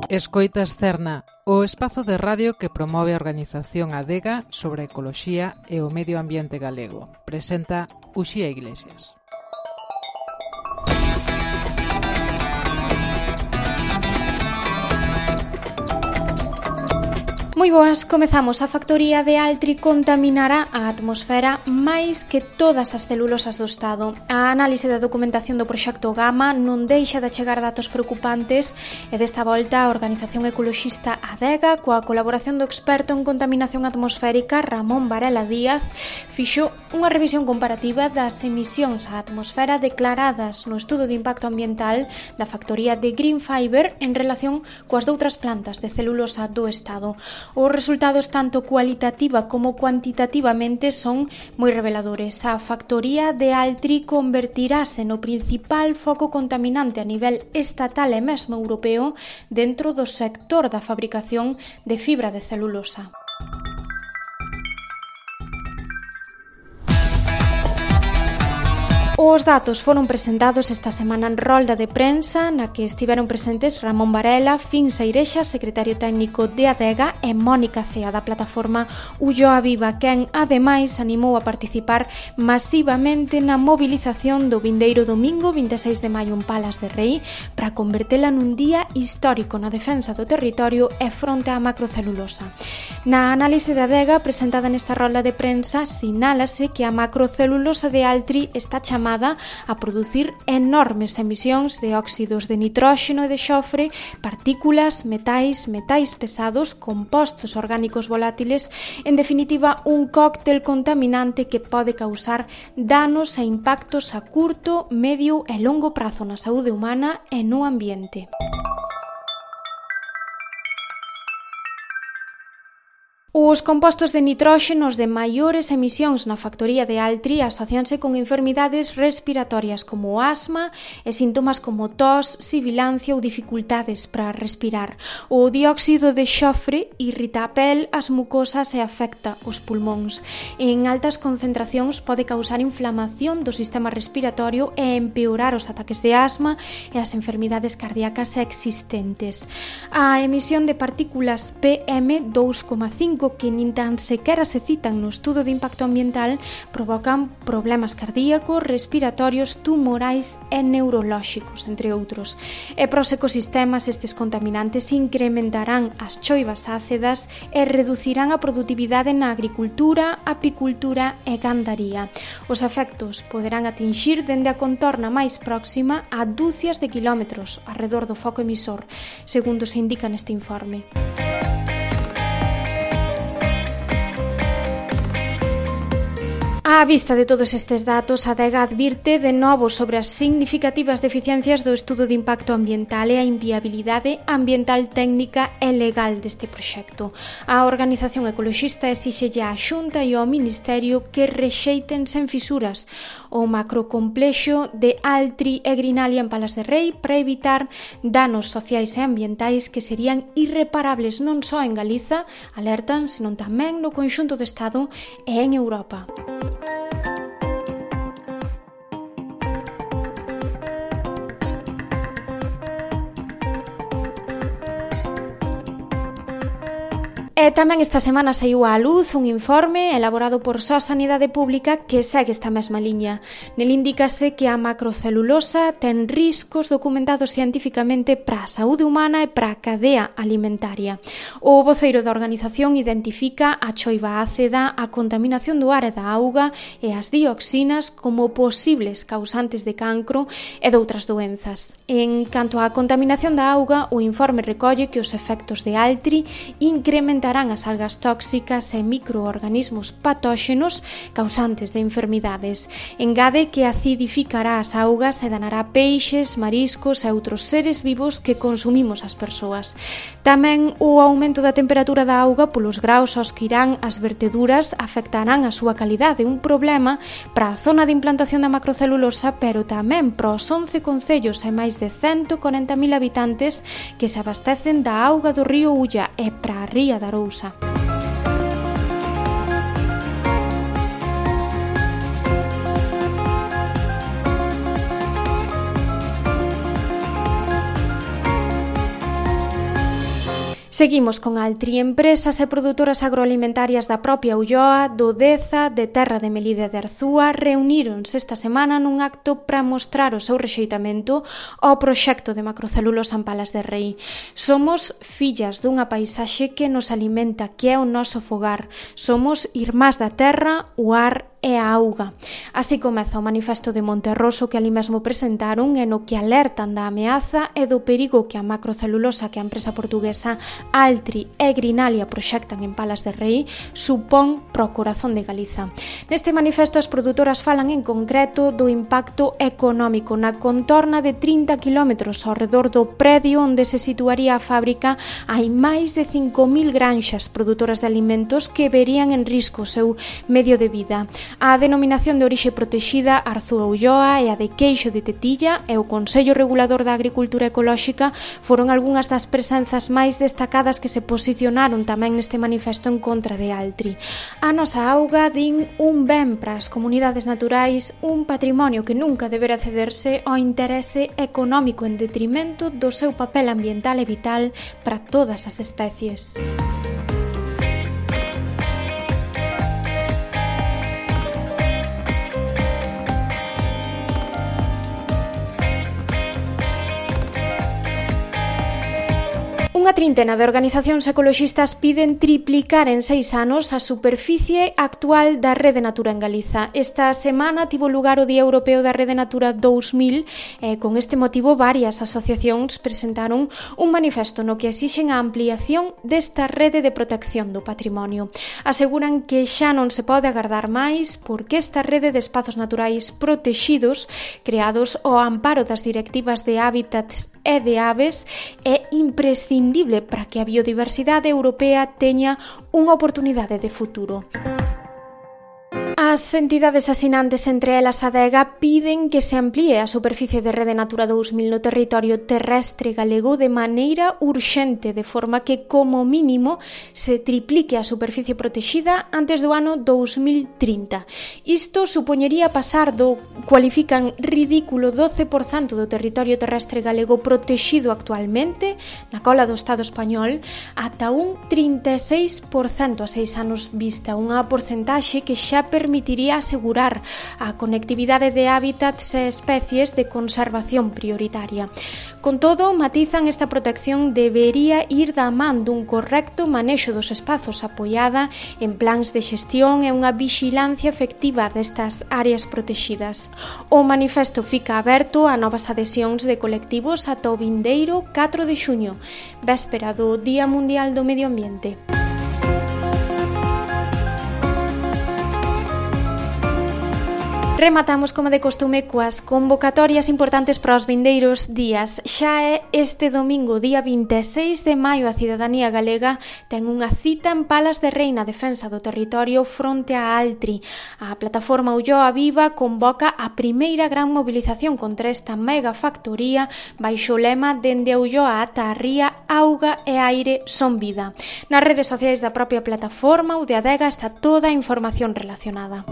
Escoitas Cerna, o espazo de radio que promove a organización Adega sobre a ecoloxía e o medio ambiente galego. Presenta Uxía Iglesias. Moi boas, comezamos. A factoría de Altri contaminará a atmosfera máis que todas as celulosas do Estado. A análise da documentación do proxecto Gama non deixa de chegar datos preocupantes e desta volta a organización ecoloxista Adega, coa colaboración do experto en contaminación atmosférica Ramón Varela Díaz, fixo unha revisión comparativa das emisións á atmosfera declaradas no estudo de impacto ambiental da factoría de Green Fiber en relación coas doutras plantas de celulosa do Estado. Os resultados tanto cualitativa como cuantitativamente son moi reveladores. A factoría de Altri convertirase no principal foco contaminante a nivel estatal e mesmo europeo dentro do sector da fabricación de fibra de celulosa. Os datos foron presentados esta semana en rolda de prensa na que estiveron presentes Ramón Varela, Fin Seirexa, secretario técnico de Adega, e Mónica Cea, da plataforma Ulloa Viva, quen ademais animou a participar masivamente na movilización do vindeiro domingo 26 de maio en Palas de Rei para convertela nun día histórico na defensa do territorio e fronte á macrocelulosa. Na análise da Adega presentada nesta rolda de prensa sinálase que a macrocelulosa de Altri está chamada a producir enormes emisións de óxidos de nitróxeno e de xofre, partículas, metais pesados, compostos orgánicos volátiles, en definitiva un cóctel contaminante que pode causar danos e impactos a curto, medio e longo prazo na saúde humana e no ambiente. Os compostos de nitróxenos de maiores emisións na factoría de Altri asocianse con enfermidades respiratorias como o asma e síntomas como tos, sibilancia ou dificultades para respirar. O dióxido de xofre irrita a pel, as mucosas e afecta os pulmóns. En altas concentracións pode causar inflamación do sistema respiratorio e empeorar os ataques de asma e as enfermidades cardíacas existentes. A emisión de partículas PM2,5 que nin tan sequera se citan no estudo de impacto ambiental provocan problemas cardíacos, respiratorios, tumorais e neurolóxicos, entre outros. E para os ecosistemas estes contaminantes incrementarán as choivas ácidas e reducirán a produtividade na agricultura, apicultura e gandaría. Os efectos poderán atinxir dende a contorna máis próxima a dúcias de kilómetros arredor do foco emisor, segundo se indica neste informe. Á vista de todos estes datos, a Adega advirte de novo sobre as significativas deficiencias do estudo de impacto ambiental e a inviabilidade ambiental, técnica e legal deste proxecto. A organización ecoloxista exíxelle á Xunta e ao Ministerio que rexeiten sen fisuras o macrocomplexo de Altri e Grinalia en Palas de Rei para evitar danos sociais e ambientais que serían irreparables non só en Galiza, alertan, senón tamén no conxunto do Estado e en Europa. E tamén esta semana saiu á luz un informe elaborado por SOS Sanidade Pública que segue esta mesma liña. Nel indícase que a macrocelulosa ten riscos documentados cientificamente para a saúde humana e para a cadea alimentaria. O voceiro da organización identifica a choiva ácida, a contaminación do ar e da auga e as dioxinas como posibles causantes de cancro e doutras doenzas. En canto á contaminación da auga, o informe recolle que os efectos de Altri incrementarán as algas tóxicas e microorganismos patóxenos causantes de enfermidades. Engade que acidificará as augas e danará peixes, mariscos e outros seres vivos que consumimos as persoas. Tamén o aumento da temperatura da auga polos graus aos que irán as verteduras afectarán a súa calidade, un problema para a zona de implantación da macrocelulosa, pero tamén para os 11 concellos e máis de 140.000 habitantes que se abastecen da auga do río Ulla e para a ría da Arousa. Seguimos con Altri. Empresas e produtoras agroalimentarias da propia Ulloa, do Deza, de Terra de Melide de Arzúa reuníronse esta semana nun acto para mostrar o seu rexeitamento ao proxecto de macrocelulosa en Palas de Rei. Somos fillas dunha paisaxe que nos alimenta, que é o noso fogar. Somos irmás da terra, o ar e a auga. Así comeza o manifesto de Monterroso que ali mesmo presentaron e no que alertan da ameaza e do perigo que a macrocelulosa que a empresa portuguesa Altri e Grinalia proxectan en Palas de Rei supón pro corazón de Galiza. Neste manifesto as produtoras falan en concreto do impacto económico na contorna de 30 km ao redor do predio onde se situaría a fábrica. Hai máis de 5.000 granxas produtoras de alimentos que verían en risco o seu medio de vida. A denominación de orixe protexida Arzúa Ulloa e a de Queixo de Tetilla e o Consello Regulador da Agricultura Ecolóxica foron algunhas das presenzas máis destacadas que se posicionaron tamén neste manifesto en contra de Altri. A nosa auga, din, un ben para as comunidades naturais, un patrimonio que nunca deberá cederse ao interese económico en detrimento do seu papel ambiental e vital para todas as especies. Unha trintena de organizacións ecoloxistas piden triplicar en 6 anos a superficie actual da Rede Natura en Galiza. Esta semana tivo lugar o Día Europeo da Rede Natura 2000 e con este motivo varias asociacións presentaron un manifesto no que exixen a ampliación desta rede de protección do patrimonio. Aseguran que xa non se pode agardar máis porque esta rede de espazos naturais protexidos creados ao amparo das directivas de hábitats e de aves é imprescindible para que a biodiversidade europea teña unha oportunidade de futuro. As entidades asinantes, entre elas a Adega, piden que se amplíe a superficie de Rede Natura 2000 no territorio terrestre galego de maneira urxente, de forma que, como mínimo, se triplique a superficie protexida antes do ano 2030. Isto supoñería pasar do, cualifican, ridículo 12% do territorio terrestre galego protexido actualmente, na cola do Estado español, ata un 36% a 6 anos vista, unha porcentaxe que xa permitiría asegurar a conectividade de hábitats e especies de conservación prioritaria. Con todo, matizan, esta protección debería ir da man dun correcto manexo dos espazos apoiada en plans de xestión e unha vixilancia efectiva destas áreas protexidas. O manifesto fica aberto a novas adhesións de colectivos ata o vindeiro 4 de xuño, véspera do Día Mundial do Medio Ambiente. Rematamos, como de costume, coas convocatorias importantes para os vindeiros días. Xa é este domingo, día 26 de maio, a cidadanía galega ten unha cita en Palas de Rei na defensa do territorio fronte a Altri. A plataforma Ulloa Viva convoca a primeira gran movilización contra esta mega factoría baixo o lema "Dende a Ulloa ata a ría, auga e aire son vida". Nas redes sociais da propia plataforma ou de Adega está toda a información relacionada.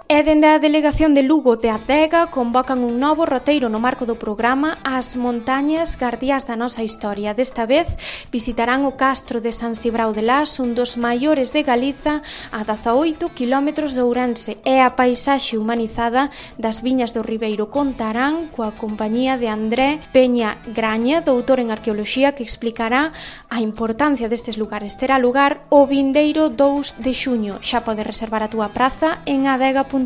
E dende a delegación de Lugo de Adega convocan un novo roteiro no marco do programa As montañas guardiás da nosa historia. Desta vez visitarán o castro de San Cibrao de Las, un dos maiores de Galiza, a 18 km de Ourense, e a paisaxe humanizada das viñas do Ribeiro. Contarán coa compañía de André Peña Graña, doutor en arqueoloxía, que explicará a importancia destes lugares. Terá lugar o vindeiro 2 de xuño. Xa podes reservar a túa praza en adega.gal.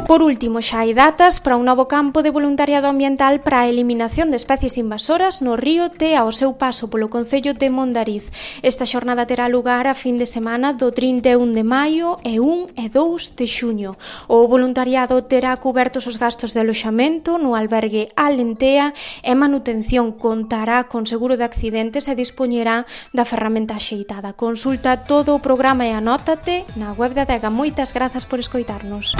Por último, xa hai datas para un novo campo de voluntariado ambiental para a eliminación de especies invasoras no río Tea ao seu paso polo concello de Mondariz. Esta xornada terá lugar a fin de semana do 31 de maio e 1 e 2 de xuño. O voluntariado terá cubertos os gastos de aloxamento no albergue Alentea e manutención, contará con seguro de accidentes e dispoñerá da ferramenta axeitada. Consulta todo o programa e anótate na web da Adega. Moitas grazas por escoitarnos.